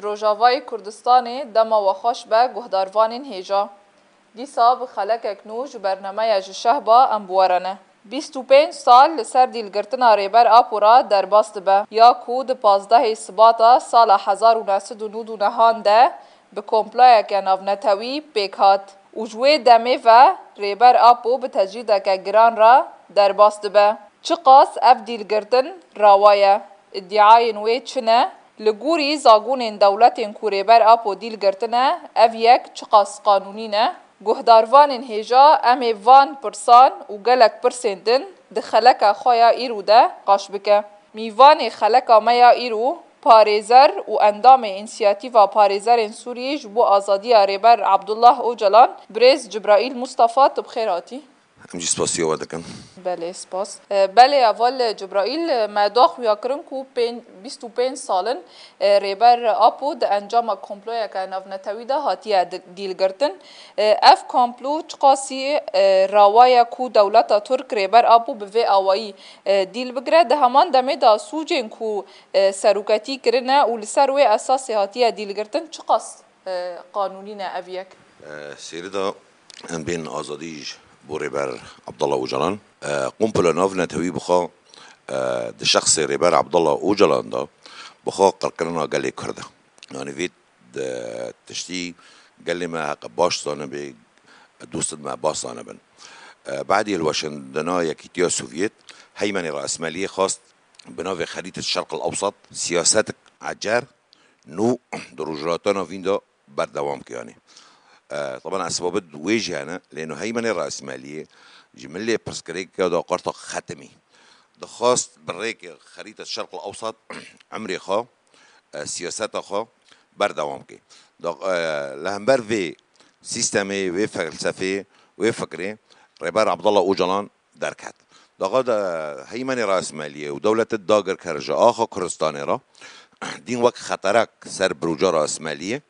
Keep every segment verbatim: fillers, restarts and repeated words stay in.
Rojavayê Kurdistanê dema we xweş be guhdarvanên hêja. Dîsa bi xelekek nû ji bernameya Ji Şehba em bi we re ne. Bîst û pênc sal li ser dîlgirtina Rêber Apo re derbas dibe, ya ku di pazdehê Sibata sala hezar û neh sed û nod û nehan de bi komployeke navnetewî pêk hat û ji wê demê ve Rêber Apo bi tecrîdeke giran re derbas dibe. Çiqas ev dîlgirtin rawa ye, îdiayên wê çi ne? Li gorî zagonên dewletên ku Rêber Apo dîl girtine, ev yek çiqas qanûnî ne? Guhdarvanên hêja, em ê van pirsan û gelek pirsên din di xeleka xwe ya îro de qaş bike. Mîvanê xeleka me ya îro, parêzer û endamê Însiyatîfa Parêzerên Sûriyê ji bo Azadiya Rêber Abdullah Ocalan, birêz Cibraîl Mustafa, tu bi xêr hatî. Em jî spasiya we dikin. Belê, spas. E, belê, heval Cibraîl, e, me daxuya kirin ku pên-, bîst û pênc sal in, e, Rêber Apo di encama komployeke navnetewî de hatiye di-, dîlgirtin. E, ev komplo çiqasî, e, rawa ye ku dewleta Tirk Rêber Apo bi vê awayî, e, dîl bigire. Di heman demê de sûcên ku, e, seroketî kirine û li ser wê esasê hatiye dîlgirtin çiqas e, qanûnî ne ev yek. E, Sêrida em bên azadî ji bo Rêber Abdullah Ocalan. E, komplo navnetewî bixwe, e, di şexsê Rêber Abdullah Ocalan de bixwe qirkirina gelê Kurd e. Yanî vê de tiştî gelê me heqe baş zanibe, dostên me baş zanibin. E, badî hilweşandina Yekîtiya Sovyet, heymenê rasmeliyê xwest bi navê Xerîtet Şerq el Ewsat siyasetek ecer nû di Rojhilata Navîn de berdewam kiyanê. E, taban esbabê wê jî hene, lê no heymenê rasmeliyê ji milê pirsgirêka da qarta xetimî. Dixwast bi rêkê Xerîta Şerq el Ewsat emrê xwe, e, siyaseta xwe berdewam ke. Da, e, li hember vê sîstemê, wê felsefê, wê fikrê Rêber Abdullah Ocalan derket. Daxa de heymenê rasmeliyê û dewletê dagirker ji axa Kurdistanê re dîn wek xeterek ser biroca rasmeliyê,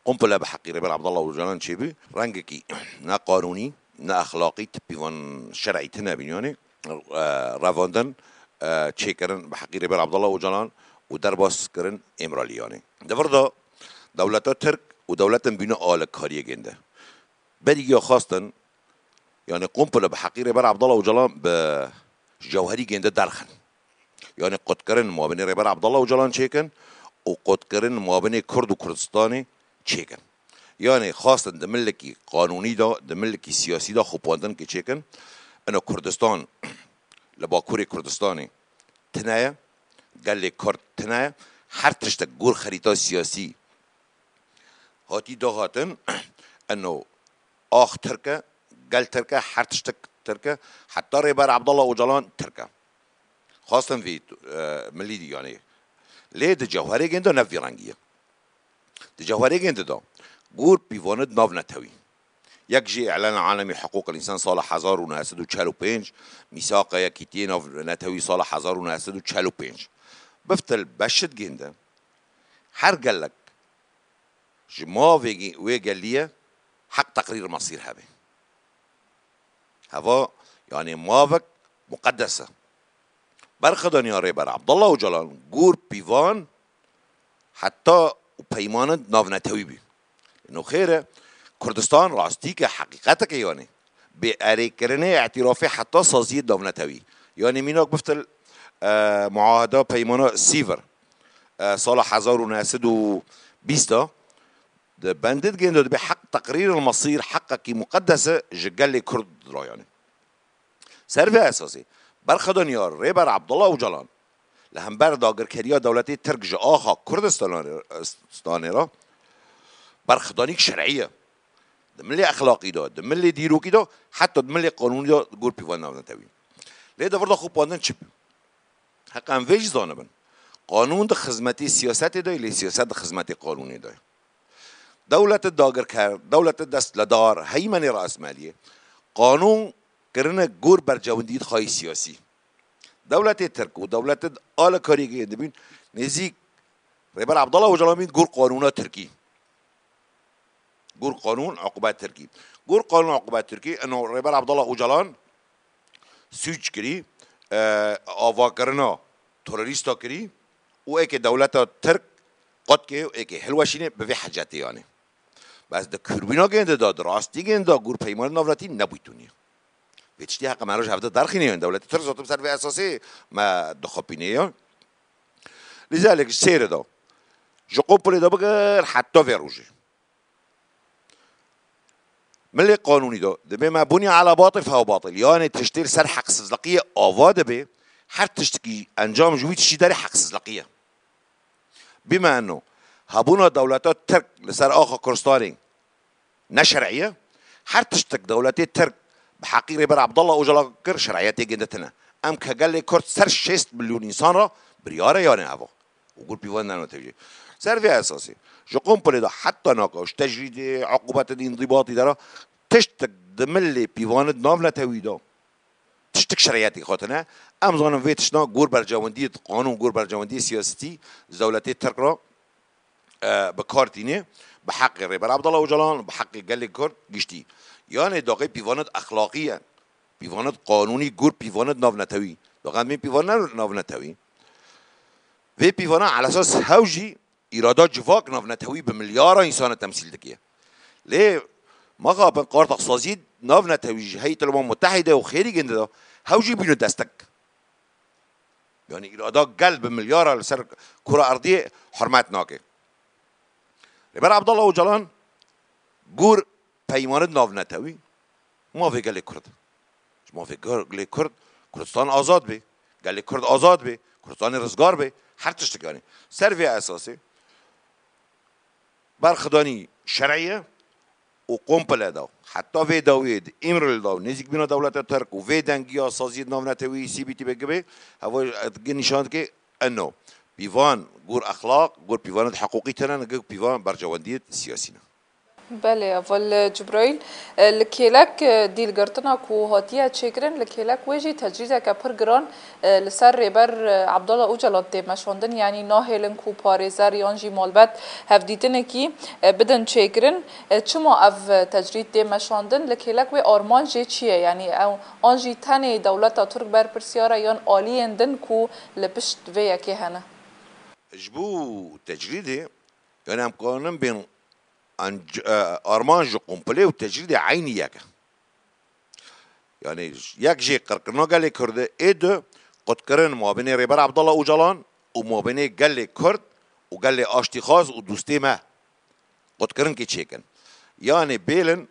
komplo bi heqî Rêber Abdullah Ocalan çêbû, rengekî ne qanûnî, ne exlaqî, ti pîvan şer'î tine bîn, yanî, e, revandin, e, çêkirin bi heqî Rêber Abdullah Ocalan û derbas kirin Îmraliyanê. Di vir de dewleta Tirk û dewletên bîne alîkariyê gênde. Berî ya xwestin, yanî komplo bi heqî Rêber Abdullah Ocalan bi cewherî gênde derxin. Yanî qutkirin mabinê Rêber Abdullah Ocalan çêkin û qutkirin mabinê Kurd û Kurdistanê çêkin. Yanî xwestin di milekî qanûnî de, di milekî siyasî de xwepandin ki çêkin. Ino Kurdistan li Bakurê Kurdistanê tine ye, gelê Kurd tine ye. Her tiştek gor xerîta siyasî hatî dahatin, eno ax Tirk e, gel Tirk e, her tiştek Tirk e, heta Rêber Abdullah Ocalan Tirk e. Xwestin vî, e, milî dî, yanî. Lê di cewherê gênde ne vî rengî ye. Di cewherê gênde de gor pîvanid navnetewî. Yek jî Îlana Alemî Hiqûqil Însan sala hezar û neh sed û çel û pênc, Mîsaqa Yekîtiyê Navnetewî sala hezar û neh sed û çel û pênc. Biftil beşid gênde her gelek ji mavê wê gelî ye heq teqrîr mesîr hebe. Heva, yanî mavek muqedes e. Berxwedaniya Rêber Abdullah Ocalan gor pîvan heta û peymanin navnetewî bî. Ino xêr e, Kurdistan rastîke heqîqeteke yanî. Bê erêkirinê îtîrafê heta saziyê navnetewî. Yanî mînak biftil, e, muaheda peymana Sîvir, e, sala hezar û neh sed û bîst de, di bendid gêndo dibe heq teqrîr el mesîr heqekî muqedes e ji gelê Kurd ra yanî. Ser vê esasê, berxwedaniya Rêber Abdullah Ocalan li hember dagirkeriya dewletê Tirk ji axa Kurdistanê, Stanê re berxwedanîk şer'î ye. Di milê exlaqî de, di milê dîrokî de, heta di milê qanûnî de gor pîvan navnetewî. Lê di vir de xwepandin çi bû? Heq em vê jî zanibin. Qanûn di xizmetê siyasetê de, lê siyaset di xizmetê qanûnê de. Dewletê dagirker, dewletê destledar, heymenê rasmeliyê, qanûn kirine gor bercewendiyê xwe yê siyasî. Dewletê Tirk û dewletê alîkariyê dibîn nêzîk Rêber Abdullah Ocalan bîn gor qanûna Tirkî. Gor qanûn uqubet Tirkî. Gor qanûn uqubet Tirkî, ino Rêber Abdullah Ocalan sûc kirî, e, avakirina terorîsta kirî û êkê dewleta Tirk qotkê û êkê hilweşînê bi vê hecetê yanê. Bes di kûrbîna gêndê de, di rastî gêndê de gûr peymanê navnetewî nebûyî tûnî. Vê tiştî heqe me roj hevde derxîne, yan dewletê Tirk zaten ser vê esasê me dixapîne ya. Lîzalek ji sêrê de, ji Qompolê de bigir heta vê rojê. Milê qanûnî de, dibê me bunî ala batil fehuwa batil. Yanê tiştê li ser heqsizliqiyê ava dibe, her tiştekî encam ji wî tiştî derê heqsizliqî ye. Bîme eno, hebûna dewleta Tirk li ser axa Kurdistanê ne şer'î ye. Her tiştek dewletê Tirk bi heqî Rêber Abdullah Ocalan kir, şer'iyetê gêndê tine. Em ke gelê Kurd ser şêst milyon însan re biryar e yanê eva. Û gûr pîvan navnetewî. Ser vê esasê, ji Qompolê de heta naka ji tecrîdê, uqubetê, îndibatî de re tiştek di milê pîvanê navnetewî de tiştek şer'iyetê xwe tine. Em zanin vê tiştna gûr bercewendiyê qanûn, gûr bercewendiyê siyasetî ji dewletê Tirk re, e, bi kar tîne, bi heqê Rêber Abdullah Ocalan, bi heqê gelê Kurd giştî. Yanê daxê pîvanê exlaqî ye, pîvanê qanûnî, gûr pîvanê navnetewî. Daxê em bên pîvanê navnetewî. Vê pîvana ala esas hew jî îrada civak navnetewî bi milyara însan e temsîl dike. Lê maxapin qartax sazî navnetewî ji heyet el Umem Mutehîde û xêrî gêndê de hew jî bîne destek. Yanî îrada gel bi milyara li ser kura erdiyê hurmet nake. Rêber Abdullah Ocalan gûr peymanê navnetewî mafê gelê Kurd. Ji mafê gelê Kurd, Kurdistan azad be, gelê Kurd azad be, Kurdistanê rizgar be, her tiştek yanî. Ser vê esasê berxidanî şer'î ye û Qompolê de, heta vê dawiyê di Îmralî de û nêzîkbîna dewleta Tirk û vê dengiya saziyê navnetewî C B T B G B, heva nîşan dike eno pîvan gûr exlaq, gûr pîvanê hiqûqî tine, ne gûr pîvan bercewendiyê siyasî ne. Belê, heval Cibraîl, e, li kêlek, e, dîlgirtina ku hatiye çêkirin, li kêlek wê jî tecrîdeke pir giran, e, li ser Rêber, e, Abdullah Ocalan tê meşandin, yanî nahêlin ku parêzer yan jî malbet hevdîtinekî, e, bidin çêkirin. E, çima ev, e, tecrîd tê meşandin? Li kêlek wê armanc jê çi ye? Yanî ew, an jî tenê dewleta Tirk berpirsiyar e yan aliyên din ku li pişt vê yekê hene? Ji bo tecrîdê, yanî em kanin bên anc-, e, armanc ji Qompolê û tecrîdê eynî yek e. Yanî yek jê qirkirina gelê Kurd e, ê du qutkirin mabênê Rêber Abdullah Ocalan û mabênê gelê Kurd û gelê aştîxwaz û dostê me. Qutkirinkê çêkin. Yanî bêlin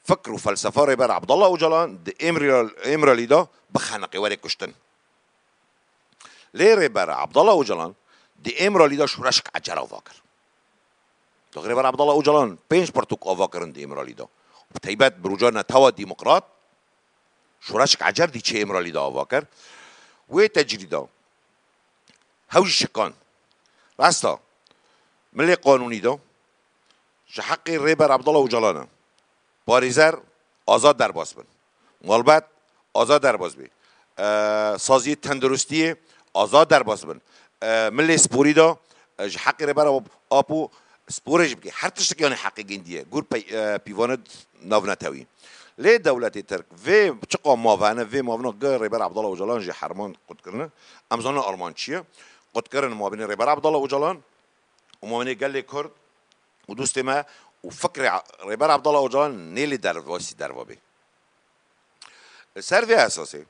fikr û felsefa Rêber Abdullah Ocalan di Îmrî-, Îmralî de bixeniqê, were kuştin. Lê Rêber Abdullah Ocalan di Îmralî de şoreşek ecer ava kir. Rêber Abdullah Ocalan pênc pirtûk ava kirin di Îmralî de. Bi taybet bi roja Netewa Demokrat şoreşek ecer dî çê Îmralî de ava kir. Wê tecrîda hew jî şikan. Rasta, milê qanûnî de ji heqê Rêber Abdullah Ocalan e. Parêzer azad derbas bin. Malbat azad derbas bê. E, saziyê tenduristiyê azad derbas bin. E, milê sporî de, e, ji heqê Rêber Apo sporê jî bike. Her tiştek yanî heqê gêndî ye. Gûr pey-, e, pîvanê navnetewî. Lê dewletê Tirk vê çiqa mavene, vê mavina gi Rêber Abdullah Ocalan jî herman qutkirine. Em zanin armanc çi ye? Qutkirin mabênê Rêber Abdullah Ocalan û mabênê gelê Kurd û dostê me û fikrê Rêber Abdullah Ocalan nêlê derbasî derva bê. Li ser vê esasê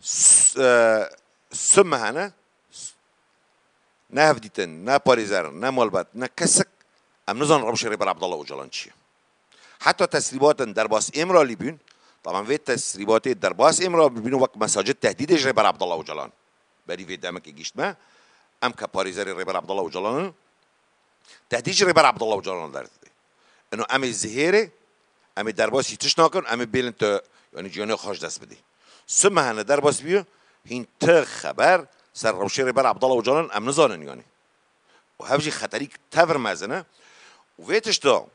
s-, e, sime hene, s-, ne hevdîtin, ne parêzer, ne malbat, ne kesik, em nizanin rewşê Rêber Abdullah Ocalan çi ye. Heta tesrîbatên derbas Îmralî bûn, taban vê tesrîbatê derbas Îmralî bûn wek mesajê tehdîdê ji Rêber Abdullah Ocalan. Berî vê demekê gihîşt me, em ke parêzerê Rêber Abdullah Ocalan in, tehdîd ji Rêber Abdullah Ocalan derdidê. Ino em ê zihêrê, em ê derbasî tişt nakin, em ê bêlin tu, yanî ciyanê xwe ji dest bidî. Sime hene derbas bîyo, hîn ti xeber ser rewşê Rêber Abdullah Ocalan em nizanin yanî. Û hev jî xeterîk tevir mezin e. Û vê tişta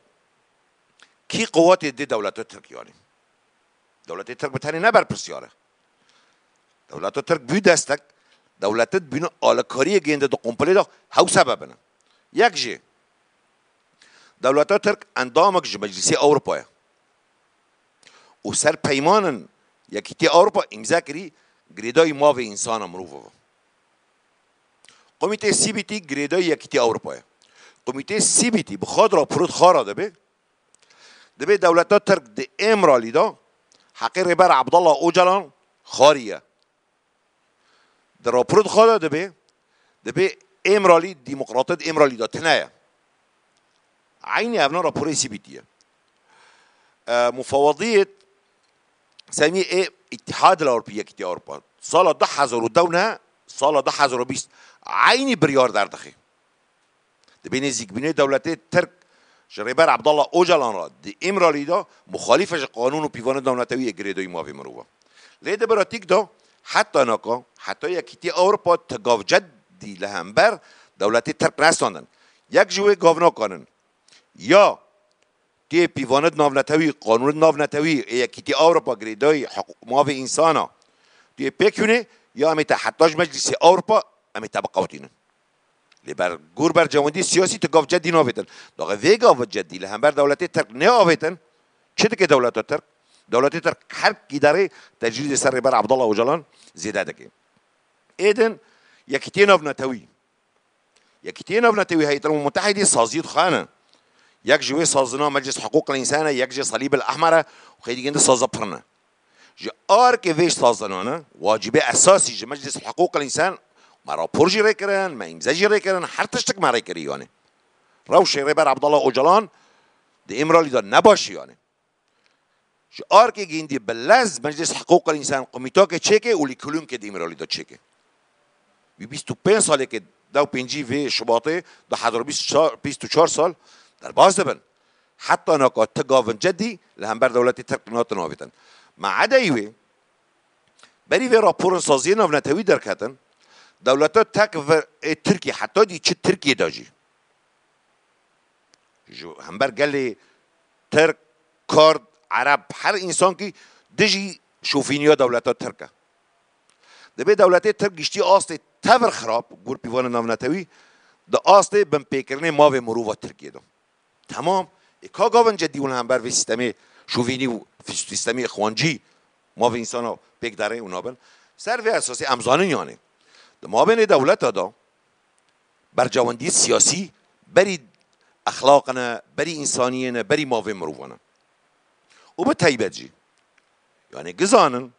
kî quwetê dê dewleta Tirk yanî? Dewletê Tirk bi tenê ne berpirsiyar e. Dewleta Tirk bû destek, dewlete dibîne alikariyê gênde di komplê de hew sebebin e. Yek jî, dewleta Tirk endamek ji Meclisê Ewropa ye. Û ser peymanin Yekîtiya Ewropa îmze kirî, girêdayî mavê însana mirovo ve. Komîtê C B T girêdayî Yekîtiya Ewropa ye. Komîtê C B T bi xwe di raporê xwe re dibe, dibe dewleta Tirk di Îmralî de heqê Rêber Abdullah Ocalan xwariye. Di raporê xwe de dibe, dibe Îmralî, demokratê di Îmralî de tune ye. Eynî evna raporê C B T ye. E, mufewadiyê semî ê Îtihadê Ewropî, Yekîtiya Ewropa, sala du hezar û deh ne, sala du hezar û bîst eynî biryar derdixe. Dibê nêzîkbûnê dewletê Tirk ji Rêber Abdullah Ocalan re di Îmralî de muxalîf e ji qanûn û pîvanên navnetewî yê girêdayî mafê mirovan. Lê di pratîk de heta naka, heta Yekîtiya Ewropa ti gav ceddî li hember dewletê Tirk nestandin. Yek ji wê gavnakan in. Ya tu yê pîvanên navnetewî, qanûnên navnetewî ê Yekîtiya Ewropa girêdayî hiqû-, mafê însana, tu yê pêk hûnê, ya em ê te heta ji Meclîsê Ewropa, em ê te biqewtînin. Lê ber, gor berjewendî siyasî tu gav ceddî navêtin. Daxê vê gav ceddî li hember dewletê Tirk neavêtin, çi dike dewleta Tirk? Dewletê Tirk her kî derê tecrîdê ser Rêber Abdullah Ocalan zêde dike. Êdin Yekîtiyê Navnetewî. Yekîtiyê Navnetewî, Heyet el Mutehîdî saziyê xwe ne. Yek ji wê sazina Meclis Hiqûq el Însan e, yek jê Salîb el Ehmer e û xeylî gindi saza pir ne. Ji arkê vê sazanane, wacîbê esasî ji Meclis Hiqûq el Însan, me rapor jî rê kirin, me îmze jî rê kirin, her tiştik me rê kirî yanî. Rewşê Rêber Abdullah Ocalan di Îmralî de ne baş e yanî. Ji arkê gindî bi lez Meclis Hiqûq el Însan komîtokê çêke û lîkolûnkê di Îmralî de çêke. Wî bîst û pênc salekê, deh û pêncî vê Şubatê du hezar û bîst û çar, bîst û çar sal derbas dibin. Heta naka ti gavin cedî li hember dewletê Tirk natin avêtin. Ma edeyî wê, berî vê raporên saziyê navnetewî derketin, dewleta tek ve ê Tirkiyê, heta dî çi Tirkiyê de jî, ji hember gelê Tirk, Kurd, Ereb, her însankî dijî şofîniya dewleta Tirk e. Dibê dewletê Tirk giştî astê tevir xirab, gor pîvanên navnetewî, di astê binpêkirinê mavê mirova Tirkiyê de. Temam. Ê ka gavin cedî hûn hember vê sîstemê şovînî û sîstemê ixwancî mavê însana pêk derê û nabin? Ser vê esasê em zanin yanê. Di mabênê dewleta de bercewendiyê siyasî berî exlaq ne, berî însaniyê ne, berî mavê mirovan e. Û bi taybet jî, yanê gizanin,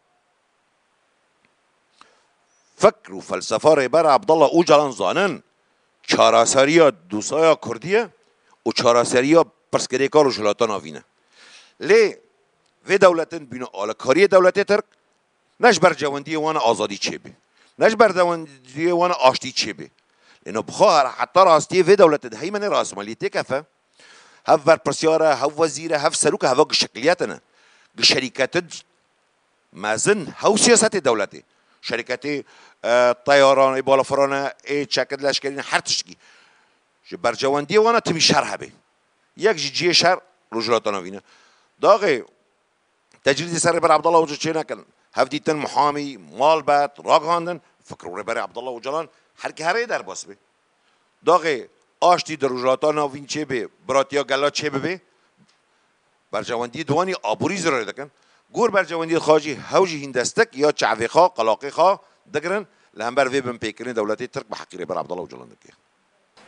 fikr û felsefa Rêber Abdullah Ocalan zanin, çareseriya dosaya Kurdî ye û çareseriya pirsgirêka Rojhilata Navîn e. Lê vê dewletin bîne alîkariyê dewletê Tirk, ne ji bercewendiyê wan e azadî çêbe, ne ji bercewendiyê wan e aştî çêbe. Lê no bi xwe her heta rastiyê vê dewletê di heymenê rasmaliyê têkefe, hev berpirsyar e, hev wezîr e, hev serok e, heva gişekliyetine. Gişerîketin mezin hew siyasetê dewletê, şerîketê, e, teyaran, ê balafirane, ê çekid leşkerî ne, her tiştkî. Ji bercewendiyê wan e timî şer hebe. Yek ji cihê şer Rojhilata Navîn e. Daxê tecrîdê ser Rêber Abdullah Ocalan çê nekin. Hevdîtin, muhamî, malbet, ragihandin, fikr û Rêberê Abdullah Ocalan her ki herê derbas be. Daxê aştî di Rojhilata Navîn çêbe, biratiya gela çêbibe, bercewendiyê di wanî aborî zirarê dikin. Gor bercewendiyê xwe jî hew jî hîn destek ya çavê xwe, qelaqê xwe digirin, li hember vê binpêkirinê dewletê Tirk bi heqî Rêber Abdullah Ocalan dike.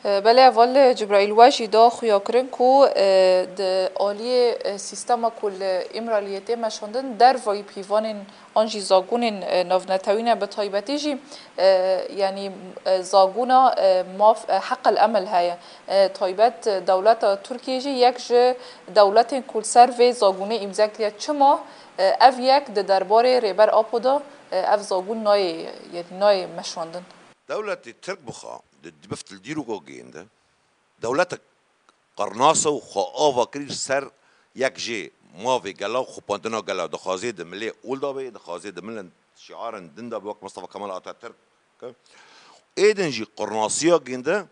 Belê, heval Cibraîl, we jî da xuyakirin ku, e, di aliyê, e, sîstema ku li Îmraliyê tê meşandin, dervayî pîvanên an jî zagonên, e, navnetewî ne, bi taybetî jî, e, yanî, e, zagona, e, maf, e, heq el emel heye. E, taybet, e, dewleta Tirkiyê jî yek ji dewletên ku li ser vê zagonê îmze kiriye. Çima, e, ev yek di derbarê Rêber Apo de, e, ev zagon nayê, yanî nayê meşandin? Dewletê Tirk bi xwe di, di bift li dîroka gênde, dewletek qirnasa û xwe ava kirî ser yek jê mavê gela û xupandina gela, dixwazê di milê ol de be, dixwazê di milên şiarên din de be, wek Mustafa Kemal Atatürk. Êdin jî qirnasiya gênde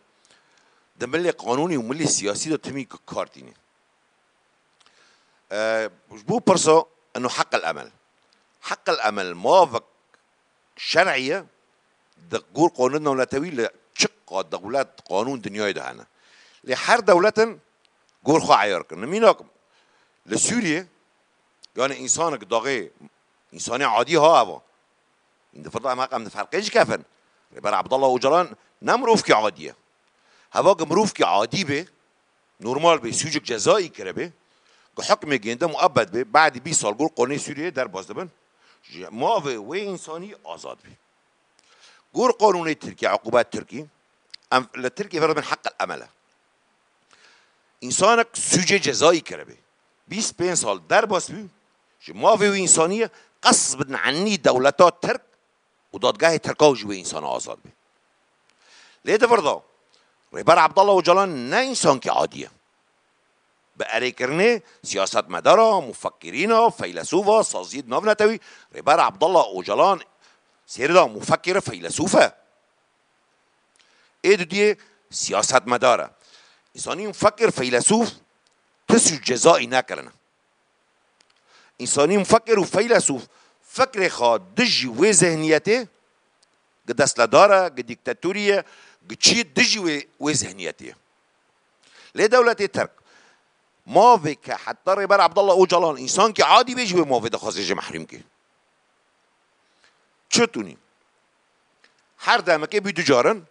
di milê qanûnî û milê siyasî de timî kar tîne. E, ji bo pirsa eno heq el emel. Heq el emel mavek şer'î ye, di gor qanûn navnetewî li çiqa dewlet, qanûn dinyayê de hene. Lê her dewletin gor xwe eyar kirin. Mînak li Sûriyê, yani însanek daxê, însanê adî ha eva. Hîn di firda em heq em di ferqê jî kefin. Rêber Abdullah Ocalan ne mirovkî adî ye. Heva ku mirovkî adî bê, normal bê, sûcek cezayî kiribê, ku hukmê gênde muebbed bê, badî bîst sal gor qonê Sûriyeyê derbas dibin, ji mavê wê însanî azad bê. Gor qanûnê Tirkî, uqûbet Tirkî, em li Tirkiyê vê re dibin heq el emel e. Însanek sûcê cezayî kiribê, bîst pênc sal derbas bû, ji mavê wî însaniyê qesbin enî dewleta Tirk û dadgehê Tirka û ji wê însana azad bê. Lê di vir de Rêber Abdullah Ocalan ne însankî adî ye. Bi erêkirinê siyasetmedara, mufekkirîna, feylesûfa, saziyê navnetewî, Rêber Abdullah Ocalan sêrida mufekkir e, feylesûf e. Ê dudiyê siyasetmedar e. Însanî mufekkir, feylesûf ti sûc cezayî nekirine. Însanî mufekkir û feylesûf fikrê xwe dijî wê zihniyetê, gi destledar e, gi dîktatorî ye, gi çiyê dijî wê, wê zihniyetê ye. Lê dewletê Tirk mavê ke heta Rêber Abdullah Ocalan însankî adî bê, ji wê mavê dixwaze jê mehrûm ke. Çi tunî? Her demekê bî du carin,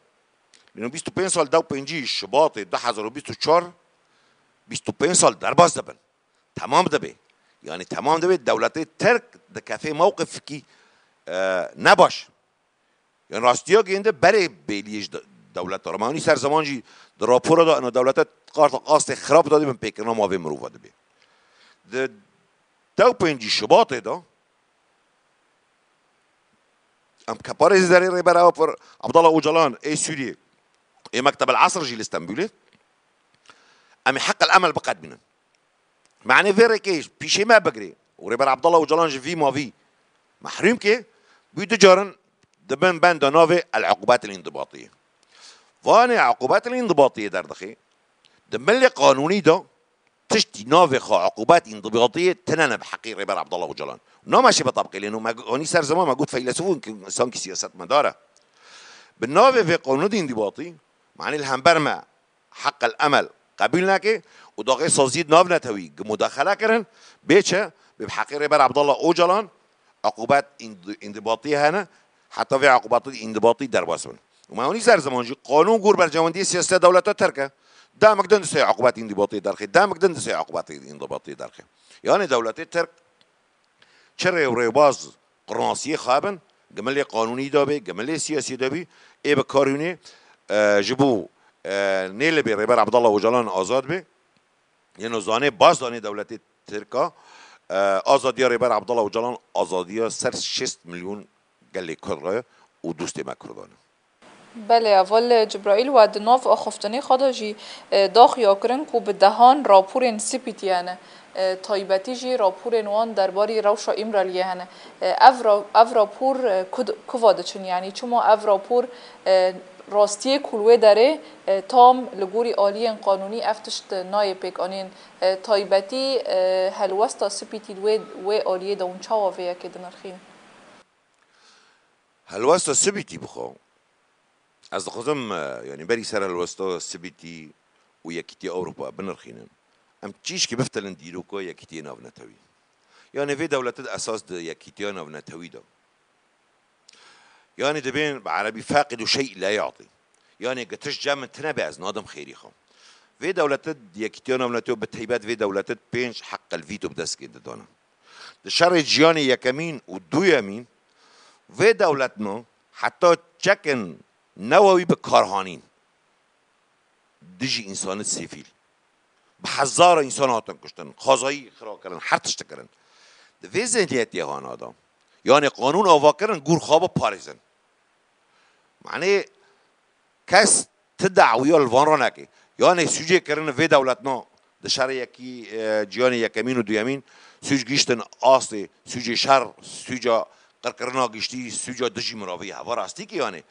lê bîst û pênc sal, dew pêncî Şubatê du hezar û bîst û çar, bîst û pênc sal derbas dibin. Temam dibe. Yanî temam dibe, dewletê Tirk dikefê mewqifkî, e, nebaş. Yanî rastiya gênde berê bêliyê ji de-, dewleta re. Me hûnî ser zeman jî di rapora de ina dewlete qarta qastê xirab de dibin pêkirina mavê mirova dibe. Di dew pêncî Şubatê de em keparê zerê Rêber Abdullah Ocalan ê Sûriyê, ê Mektebel Esr jî li Stenbulê, em ê heq el emel biqedmînin. Manê vê rêkê pîşê me bigirê û Rêber Abdullah Ocalan ji vî mavî mehrûm ke, bû du carin dibin benda navê el-uqûbet el-îndibatiyê. Vanê uqûbet el-îndibatiyê derdixê, di milê qanûnî de tiştî navê xwe uqûbet îndibatiyê tine ne bi heqî Rêber Abdullah Ocalan. Nameşê bi tabqê lê, me got, anî ser ziman me got feylesûf in, sankî siyasetmedar e. Bi navê vê qanûnê îndibatî, manê li hember me heq el emel qebûl neke û daxê saziyê navnetewî gi mudaxele kirin, bê çi? Bê bi heqê Rêber Abdullah Ocalan uqûbet înd-, îndibatî hene, heta vê uqûbetê îndibatî derbas bin. Û me hûnî ser ziman jî qanûn gor berjewendiyê siyasî dewleta Tirk e. Demek din disê uqûbet îndibatî derxê, demek din disê uqûbet îndibatî derxê. Yanî dewletê Tirk çi rê û rêbaz qurnasiyê xwe bin, gi milê qanûnî de bê, gi milê siyasî de bî, ê bi kar hûnê, e, ji bo, e, nêlibê Rêber Abdullah Ocalan azad bê, yeno zanê, baş zanê dewletê Tirka, e, azadiya Rêber Abdullah Ocalan, azadiya ser şêst milyon gelê Kurd re û dostê me Kurdan e. Belê, heval Cibraîl, we di nav axaftinê xwe de jî, e, daxuya kirin ku bi dehan raporên C P T hene, e, taybetî jî raporên wan derbarî rewşa Îmraliyê hene. E, ev ra-, ev rapor, e, ku d-, kuva diçin? Yanî çima ev rapor, e, rastiyê ku li wê derê, e, tam li gorî aliyên qanûnî ev tişt nayê pêkanîn? E, taybetî, e, helwesta C P T li wê, wê aliyê de hûn çawa vê yekê dinirxînin? Helwesta C P T bixwe, ez dixwazim, e, yanî berî ser helwesta C P T û Yekîtiya Ewropa binirxînin. Em tişkî biftilin dîroka Yekîtiyê Navnetewî. Yanî vê dewlete di esas di Yekîtiya Navnetewî de. Yanî dibên bi erebî feqîd û şey la yatî. Yanî gi tişt cem min tine be ez nadim xêrî xwe. Vê dewlete di Yekîtiya Navnetewî, bi teybet vê dewlete di pênc heqel vîto bi dest kê didane. Di şerê cîhanê yekemîn û duyemîn vê dewletna heta çekên newewî bi kar hanîn dijî însanî sivîl. Bi hezara însan hatin kuştin, xwezayî xira kirin, her tişt kirin. Di vê zihniyetê hana de, yanê qanûn ava kirin, gor xwe biparêzin. Manê kes ti dawiya li van re neke. Yanê sûcê kirin vê dewletna di şerê yekî, e, cîhanê yekemîn û duyemîn, sûc gihîştin astê, sûcê şer, sûca qirkirina giştî, sûca dijî mirovî. Heva rastî ki yanê.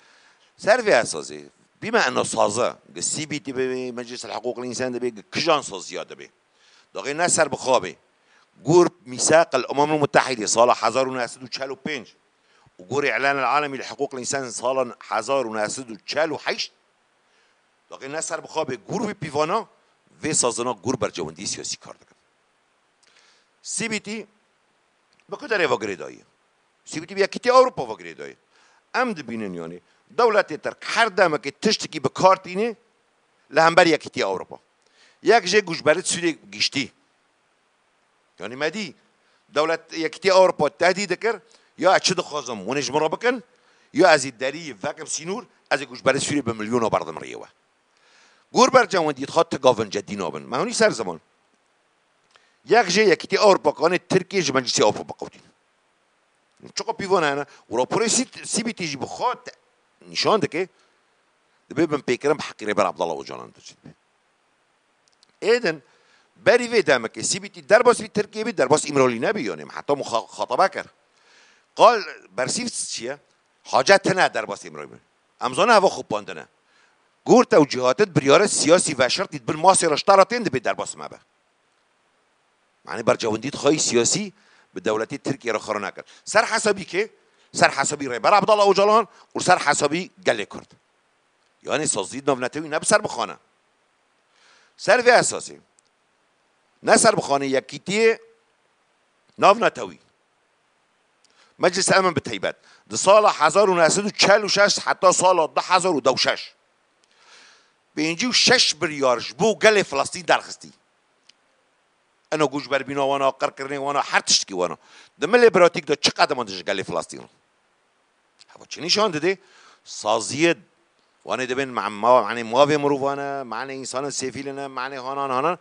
Ser vê esasê, bîme eno saze, gi C P T bibê, Meclîs el Hiqûq el Însan dibê, gi kijan saziya dibê. Daxê ne ser bi xwe bê. Gor Mîsaq el Umem el Mutehîdê sala hezar û neh sed û çel û pênc û gorê Îlan el Alemî li Hiqûq el Însan sala hezar û neh sed û çel û heşt, daxê ne ser bi xwe bê, gor wî pîvana vê sazina gor bercewendî siyasî kar dikin. C P T bi ku derê ve girêdayî? C P T bi Yekîtiya Ewropa ve girêdayî. Em dibînin yanî dewletê Tirk her demekê tiştekî bi kar tînê, li hember Yekîtiya Ewropa. Yek jê goçberê Sûriyê giştî. Yanî me dî, dewlet Yekîtiya Ewropa tehdît dikir, ya ez çi dixwazim, hûn ê ji min re bikin, ya ez ê derî vekim sînor, ez ê goçberê Sûriyê bi milyona berdim rêye we. Gor bercewendî dixwat ti gavin cedî nabin. Me hûnî ser ziman. Yek jê Yekîtiya Ewropa kanê Tirkiye ji Meclisê Ewropa biqewtîn. Çiqa pîvana hene? Û raporê C-, C B T jî bi xwe te-, nîşan dike, dibê binpêkirin bi heqî Rêber Abdullah Ocalan de çi dibe. Êdin, berî vê demekê C B T derbas vî Tirkiyê bî, derbas Îmralî nebî, yanî heta muxa-, muxataba kir. Qal bersîv çi ye? Hacet tine derbas Îmralî bî. Em zane heva xupandine. Gor tewcîhatê biryarê siyasî veşartî di bin masê re ji te re tên dibê derbas me be. Manê bercewendî dixwayî siyasî bi dewletê Tirkiye re xwe re nekir. Ser hesabî kê? Ser hesabî Rêber Abdullah Ocalan û ser hesabî gelê Kurd. Yanî saziyê navnetewî ne bi ser bixane. Ser vê esasê. Ne ser bixane Yekîtiyê navnetewî. Meclîsa Emin bi teybet. Di sala hezar û neh sed û çel û şeş heta sala du hezar û deh û şeş. Pêncî û şeş biryar ji bo gelê Filistîn derxistî. Eno goçberbîna wana, qirkirinê wana, her tiştekî wana. Di milê pratîk de çi qedema dije gelê Filistîn re? Heva çi nîşan dide? Saziyê wanê dibên ma-, ma-, manê mavê mirovan e, manê însanên sêfîl ne, manê hanan hanan.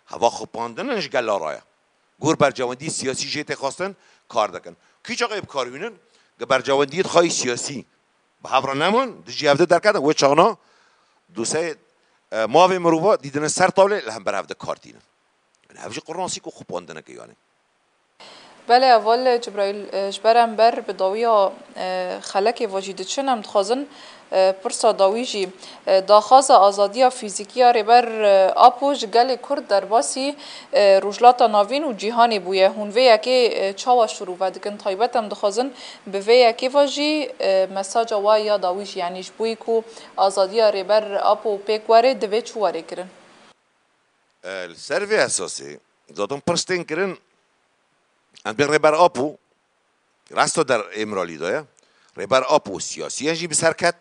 Heva xupandin in ji gela re ye. Gor bercewendî siyasî jê tê xwestin, kar dikin. Kî çaxê bi kar hînin? Gi bercewendiyê dixwayî siyasî bi hev re neman, dijî hev de derketin, wê çaxna doseyê, e, mavê mirova dîdine ser tawlê, li hember hev de kar tînin. Yanî hev jî qurnasî ku xupandineke yanî. Belê, heval Cibraîl, e, ji ber em ber bi dawiya, e, xelekê ve jî diçin, em dixwazin, e, pirsa dawî jî, e, daxwaza azadiya fîzîkî ya Rêber, e, Apo ji gelê Kurd derbasî, e, Rojhilata Navîn û cîhanê bûye. Hûn vê yekê, e, çawa şirove dikin? Taybet em dixwazin bi vê yekê ve jî, e, mesaja we ya dawî jî, yanî ji bo ku azadiya Rêber Apo pêk were, divê çi were kirin? E, li ser vê esasê, zaten pirs tên kirin, em bên Rêber Apo, rasta der Îmralî de ye, Rêber Apo siyasiyen jî bi ser ket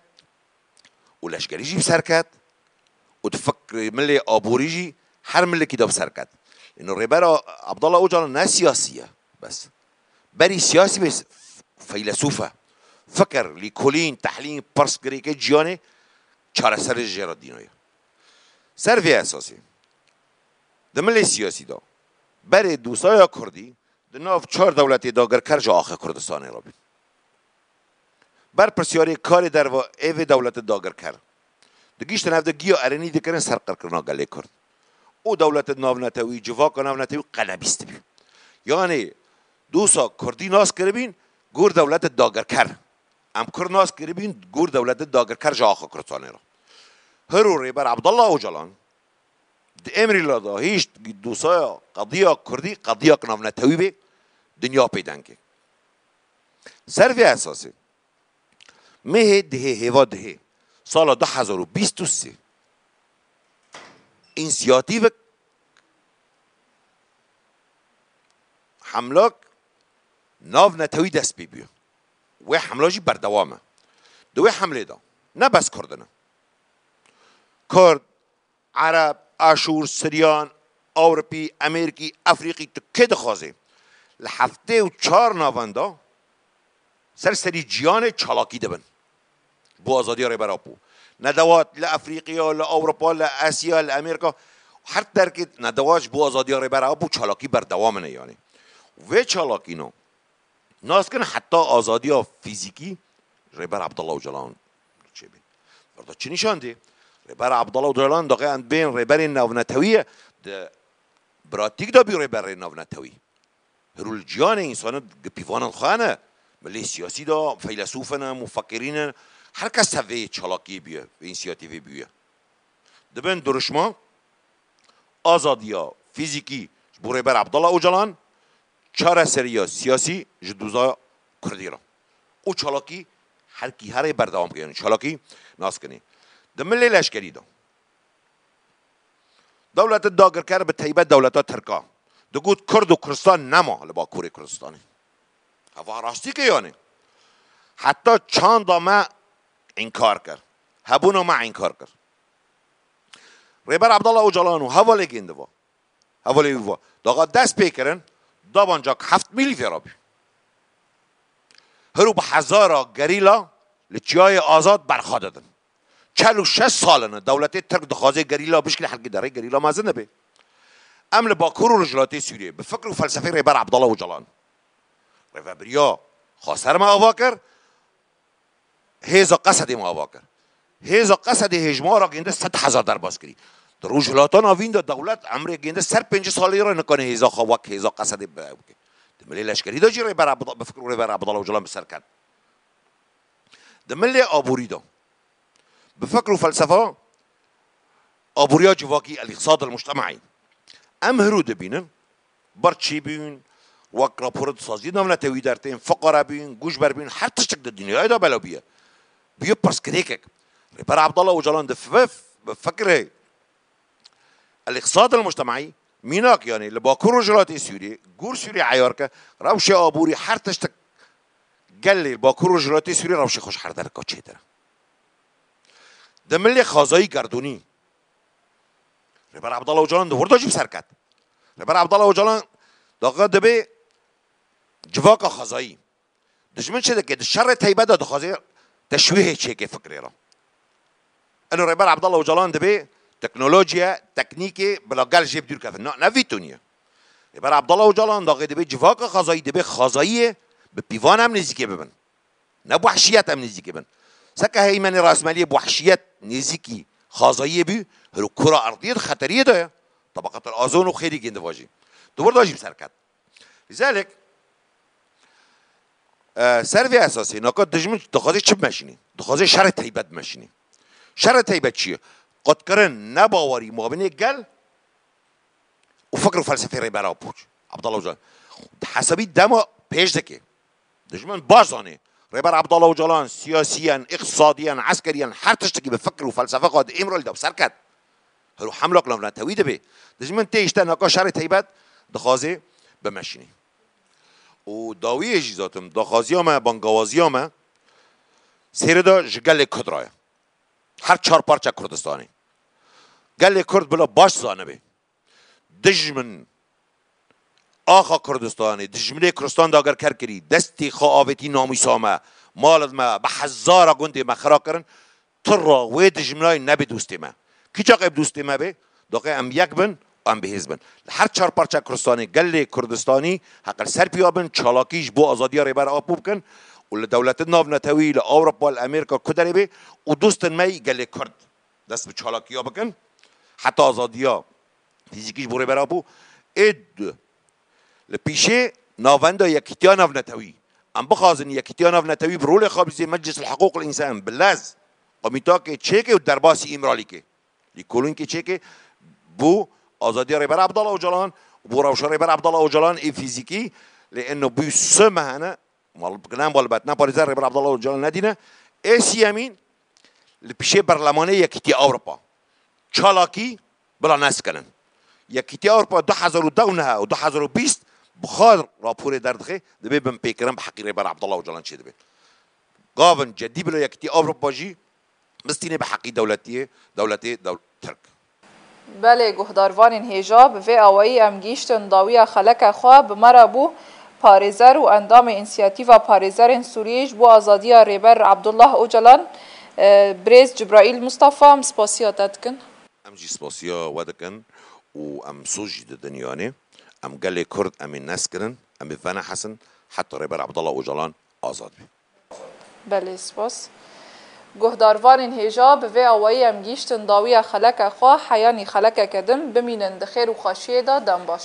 û leşkerî jî bi ser ket û di fikrê milê aborî jî her milekî de bi ser ket. Îno Rêber A-, Abdullah Ocalan ne siyasî ye, bes. Berî siyasî bê, feylesûf e. Fikir, lîkolîn, tehlîl, pirs girêkê ciyanê çareserê jê re dîno ye. Ser vê esasê, di milê siyasî de, berê dosaya Kurdî di nav çar dewletê dagirker ji axê Kurdistanê re bî. Berpirsyarê karê derve ê vê dewlete dagirker digihîştin, ev de giya erênî dikirin ser qirkirina gelê Kurd. Û dewlete navnetewî, civaka navnetewî qe nebîstibî. Yanî dosa Kurdî nas kiribîn gor dewlete dagirker. Em Kurd nas kiribîn gor dewlete dagirker ji axa Kurdistanê re. Hiro Rêber Abdullah Ocalan di Îmralî de hişt dosaya qediya Kurdî qediyak navnetewî bê, dinya pê dengê. Ser vê esasê, mehê dihê, hêva dihê, sala du hezar û bîst û sê, însiyatîvek hemlak navnetewî dest pê bûye. Wê hemla jî berdewam e. Di wê hemlê de ne bes Kurd in. Kurd, Ereb, Aşûr, Siryan, Ewropî, Amerîkî, Efrîqî, tu kê dixwazê? Li heftê û çar navenda ser serî cîhanê çalakî dibin. Bo azadiya Rêber Apo. Nedewat li Efrîqiya, li Ewropa, li Asya, li Amerîka, her derkê nedewat ji bo azadiya Rêber Apo çalakî berdewam in e yanî. Vê çalakîna nas kin heta azadiya fîzîkî Rêber Abdullah Ocalan çêbî. Berda çi nîşan dê? Rêber Abdullah Ocalan daxê em bên rêberên navnetewî ye. Di pratîk de bî rêberê navnetewî. Hiro li ciyanê însanê gi pîvanan xwe ne. Milê siyasî de, feylesûf ne, mufekirîn ne. Her kes tev vê çalakiyê bûye, vê însiyatîvê bûye. Dibin duruşma azadiya fîzîkî ji bo Rêber Abdullah Ocalan, çareseriya siyasî ji doza Kurdî re. Û çalakî her kî herê berdewam kirin. Çalakî nas kinê. Di milê leşkerî de. Dewleta dagirker bi teybet dewleta Tirka digot Kurd û Kurdistan nema li Bakurê Kurdistanê. Heva rastî ke yanî. Heta çanda me înkar kir. Hebûna me înkar kir. Rêber Abdullah Ocalan û hevalê gêndiva, hevalê wî va, daxa dest pê kirin, dabancak heft mîlî fêra bû. Hir û bi hezara gerîla li Çiyayê Azad berxa didin. Çel û şeş sal in dewletê Tirk dixwaze gerîla bişkîne, helkî derê gerîla mezin dibe. Em li Bakur û Rojhilatê Sûriyê bi fikr û felsefeyê Rêber Abdullah Ocalan, rêvebiriya xweser me ava kir, hêza Qesedê me ava kir. Hêza Qesedê hêjmara gênde sed hezar derbas kirî. Di Rojhilata Navîn de dewlet emrê gênde ser pêncî salî re nikane hêza xwe wek hêza Qesedê bi-, bike. Di milê leşkerî de jî Rêber Abd-, bi fikr û Rêber Abdullah Ocalan bi ser ket. Di milê aborî de bi fikr û felsefa aboriya civakî, el-îqtisad el-muctemaî. Em hirû dibînin, birçî bûn, wek rapora di saziyê navnetewî dertên, fiqare bûn, goçber bûn, her tiştek di dinyayê de belav bûye. Bûye pirsgirêkek. Rêber Abdullah Ocalan di f-, bi fikrê el-îqtisad el-muctemaî, mînak, yanî li Bakur Rojhilatê Sûriyê, gor Sûriyê eyar ke, rewşê aborî, her tiştek gelê li Bakur Rojhilatê Sûriyê rewşê xwe ji her dereka çêtir e. Di milê xazayî gerdûnî, Rêber Abdullah Ocalan di wir de jî bi ser ket. Rêber Abdullah Ocalan daxa dibe civaka xazayî. Dijmin çi dike? Di şerê teybet de dixwaze teşwîhê çêke fikrê re. Eno Rêber Abdullah Ocalan dibe teknolojiye, teknîkê bila gel jê bi dûr kevin. Na, ne vî toniye. Rêber Abdullah Ocalan daxê dibe civaka xazayî, dibe xazayiyê bi pîvan em nêzîkê bibin. Ne bi wehşiyet em nêzîkê bin. Seke heymenê rasmeliyê bi wehşiyet nêzîkî xazayiyê bî, hiro kura erdiyê di xeteriyê de ye. Tabaqatel azon û xêrî gêndivajî. Di wir de jî bi ser ket. Lîzalek, e, ser vê esasê, naka dijmin dixwaze çi bimeşînî? Dixwaze şerê teybet bimeşînî. Şerê teybet çi ye? Qutkirin, nebawerî mabînê gel û fikr û felsefê Rêber Apo, Abdullah Ocalan. Di hesabî dema pêş dike. Dijmin baş zanê. Rêber Abdullah Ocalan siyasiyen, îqtisadiyen, eskeriyen, her tiştekî bi fikr û felsefe xwe di Îmralî de bi ser ket. Hiro hemlak navnetewî dibe. Dijmin tê îşte naka şerê teybet dixwaze bimeşînî. Û dawiyê jî zatim, daxwaziya me, bangawaziya me, sêrê de ji gelê Kurd re ye. Her çar parça Kurdistanê. Gelê Kurd bila baş zanibe. Dijmin axa Kurdistanê, dijminê Kurdistan dagirker kirî, destê xwe avêtî namûsa me, malid me, bi hezara gundê me xira kirin, tira wê dijminayê nebe dostê me. Kî çaxê bi dostê me bê, doqê em yek bin û em bihêz bin. Li her çar parça Kurdistanê, gelê Kurdistanî heqil ser piya bin, çalakî ji bo azadiya Rêber Apo bikin û li dewletin navnetewî, li Ewropa, li Amerîka, ku derê bê û dostên me yî gelê Kurd dest bi çalakiya bikin, heta azadiya fîzîkî ji bo Rêber Apo. Ê du, li pîşê navenda Yekîtiya Navnetewî. Em bixwazin Yekîtiya Navnetewî bi rolê xwe bîzê Meclis el Hiqûq el Însan, bi lez, komîtakê çêke û derbasî Îmralî ke. Lîkolînkê çêke bo azadiya Rêber Abdullah Ocalan û bo rewşa Rêber Abdullah Ocalan ê fîzîkî, lê eno bû sê meh hene, mal-, ne malbet, ne parêzer Rêber Abdullah Ocalan nedîne. Ê siyemîn, li pişê berlemanê Yekîtiya Ewropa çalakî bila nesekinin. Yekîtiya Ewropa du hezar û deh û neh û du hezar û bîst bi xwe raporê derdixe, dibê binpêkirin bi heqî Rêber Abdullah Ocalan çêdibe. Gavin cedî bila Yekîtiya Ewropa jî bistîne bi heqî dewletiyê, dewletê dew-, Tirk. Belê, guhdarvanên hêja, bi vê awayî em gihîştin dawiya xeleke xwe. Bi me re bû parêzer û endamê Însiyatîfa Parêzerên Sûriyê ji bo Azadiya Rêber Abdullah Ocalan, e, birêz Cibraîl Mustafa, em spasiya te dikin. Em jî spasiya we dikin û em soz jî didin yanê. Em gelê Kurd em ê nesekirin, em ê venehesin heta Rêber Abdullah Ocalan azad be. Belê, spas. Guhdarvanên hêja, bi vê awayî em gihîştin dawiya xeleke xwe, heyanî xelekeke din, bimînin di xêr û xweşiyê de, dem baş.